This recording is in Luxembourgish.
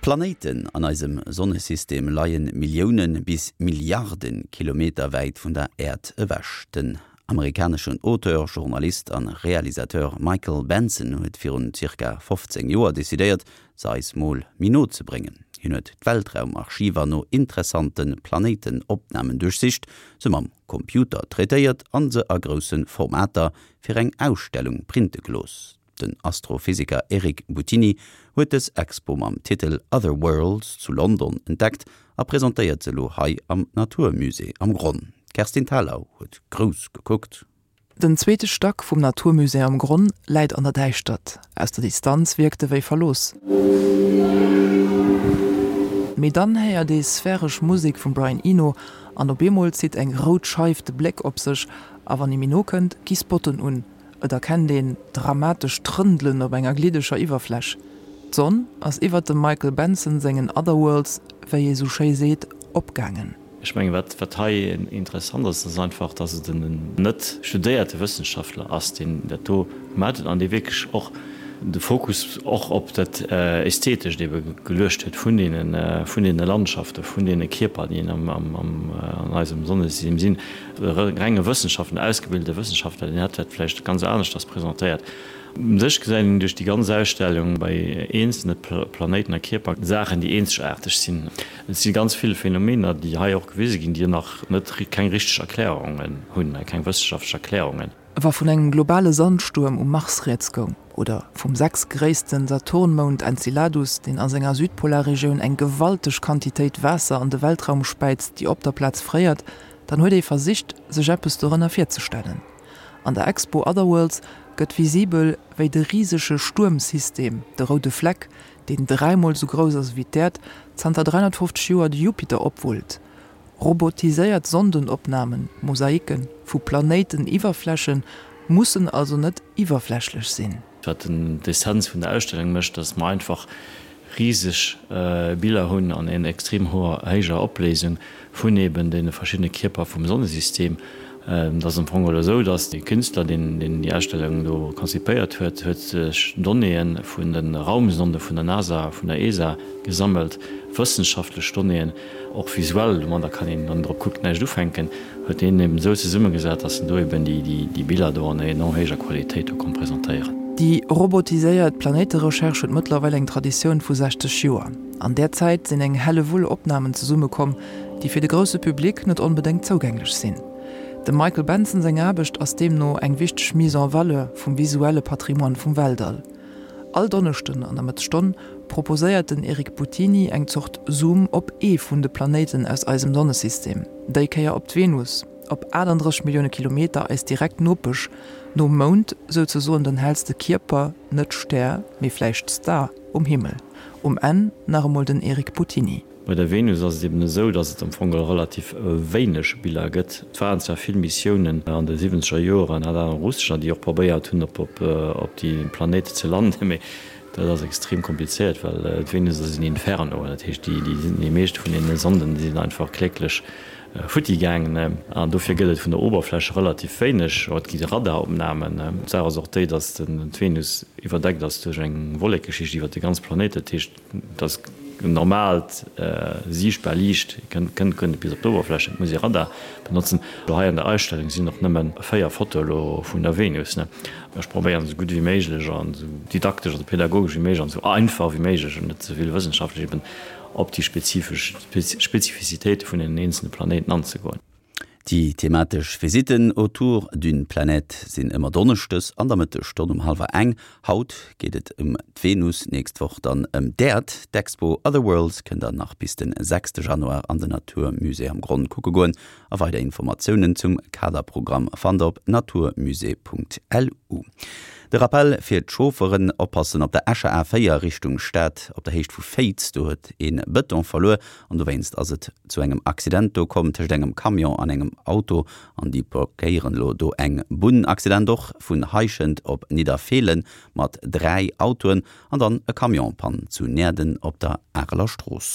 D'Planéiten an eisem Sonnesystem leie Millioune bis Milliarde Kilometer wäit vun der Äerd ewech. Den amerikaneschen Auteur, Journalist an Realisateur Michael Benson huet virun zirka 15 Joer decidéiert, se eis mol méi no ze bréngen. Hien huet d'Weltraumarchiver no interessante Planéitenopnamen duerchsicht, se mam Computer traitéiert an se a grousse Formater fir eng Ausstellung printe gelooss. Den Astrophysiker Eric Buttini huet dës Expo mam Titel Other Worlds zu London entdeckt a presentéiert se elo hei am Natur Musée am Gronn. D'Kerstin Thalau huet grouss gekuckt. Den zweete Stack vum Natur Musée am Gronn läit an der Däischtert. Aus der Distanz wierkt e wéi verlooss. Mee dann héiert ee sphäresch Musek vum Brian Eno an op eemol zitt eng rout Scheif de Bléck op sech a wann ee méi no kënnt, gi Spotten un. Et erkennt een dramatesch Trëndelen op enger gliddeger Iwwerfläch. D'Sonn ass iwwert dem Michael Benson sengen Otherworlds, wéi ee sou schéi seet, opgaangen. Ech mengen, wat wat hei interessant ass, ass einfach, dass et en net studéierte Wëssenschaftler ass, deen dat do gemaach huet an dee wierklech och de Fokus och op dat Ästhetescht ebe geluecht huet vun deene vun deene Landschaften, vun deene Kierper, déi am am an eisem Sonnesystem sinn. E renge Wëssenschaftler, en ausgebildete Wëssenschaftler, deen hätt dat vläicht ganz aneschters presentéiert. U sech gesäit een duerch déi ganz Ausstellung bei eenzelne Planéiten a Kierper Saachen, déi eenzegaarteg sinn. Et si ganz vill Phänomener, déi hei och gewise ginn, déi nach net, keng richteg Erklärungen hunn, keng wëssenschaftlech Erklärungen. Wa vun engem globale Sandstuerm um Mars rieds goung, oder vum sechstgréissten Saturnmound Enceladus, deen a senger Südpolarregioun eng gewalteg Quantitéit Waasser an de Weltraum späizt, déi op der Plaz fréiert, Dann huet ee versicht, sech eppes dorënner virzestellen. An der Expo Otherworlds gëtt visibel, wéi de risege Stuermsystem, de roude Fleck, deen dräimol sou grouss ass ewéi d'Äerd, zanter 350 Joer de Jupiter opwullt. Robotiséiert Sondenopnamen, Mosaiken, vu Planéiteniwwerfläche mussen also net iwwerflächlech sinn. Wat d'Essenz vun der Ausstellung mécht, dass mer einfach riseg Biller hunn an en extrem hoher héijer Opléisung vun eben deene verschiddene Kierper vum Sonnesystem. Et ass am Fong elo esou, dass dee Künstler, deen déi Ausstellung do konzipéiert huet, huet sech Donnéeë vun de Raumsonde vun der NASA, vun der ESA gesammelt, wëssenschaftlech Donnéeën, Och visuell, domadder kann een, wann een drop kuckt, näischt ufänken, huet deen eben esou zesummegesat, dass en do eben déi Biller do an enorm héijer Qualitéit do konnt presentéieren. Déi robotiséiert Planéiterecherche huet mëttlerweil eng Traditioun vu 60 Joer. An där Zäit sinn eng Hellewull Opnamen zesummekomm, déi fir de grousse Public net onbedéngt zougänglech sinn. Dem Michael Benson seng Aarbecht ass deemno eng wichteg Mise en valeur vum visuelle Patrimoine vum Weltall. All Donneschden an der Mëttesstonn proposéiert den Eric Buttini eng Zort Zoom op ee vun de Planéiten aus eisem Sonnesystem, déi Kéier op d'Venus, op 38 Millioune Kilometer eis direkt Nopesch, nom Mound souzesoen den hellste Kierper, net Stär, mee vläicht Star, um Himmel. Um Enn nach emol den Eric Buttini. Bei der Venus ass et eben esou, datt et am Fong geholl relativ wéineg Biller gëtt. Et waren zwar vill Missiounen an de siwwenzeger Joeren, hat awer russescher, déi och probéiert hunn op déi Planéit ze landen, mee dat ass extrem komplizéiert, well d'Venus ass en Inferno. Dat heescht, déi déi meescht vun deene Sonden, déi sinn einfach kläglech futti gaangen an dofir gëtt et vun der Oberfläch relativ wéineg. Et gi Radaropnamen. D'Saach ass och déi, datt d'Venus iwwerdeckt ass duerch eng Wollekeschicht iwwer de ganz Planéit. Dat heescht, Dass normaalt siichtbar Liicht kënnt guer net bis op d'Oberfläch, et muss ee Radar benotzen. Elo hei an der Ausstellung sinn och nëmme 4 Fotoe elo vun der Venus. Ech probéieren esou gutt wéi méiglech an esou didaktesch, also pädagogesch wéi méiglech an esou einfach wéi méiglech an net ze vill wëssenschaftlech eben op déi spezifesch Spezifizitéite vun deenen eenzelne Planéiten anzegoen. Déi thematesch Visitten autour d'une planète sinn ëmmer donneschdes an der Mëttesstonn um hallwer eng. Haut geet et ëm d'Venus, nächst Woch dann ëm d'Äerd. D'Expo Other Worlds kënnt der nach bis de sechste Januar an den Natur Musée am Gronn kucke goen a weider Informatiounen zum Kaderprogramm fannt der op naturmusée.lu. De Rappell fir d'Chaufferen, Oppassen op der Escher A4 Richtung Stad op der Héicht vu Féiz, do huet ee Bëton verluer An dowéinst ass et zu engem Accident do komm tëscht engem Camion an engem Auto an déi blockéieren elo do eng Bunn. Accident och vun Heischent op Nidderfeelen mat 3 Autoen an dann e Camion-Pann zu Näerden op der Areler Strooss.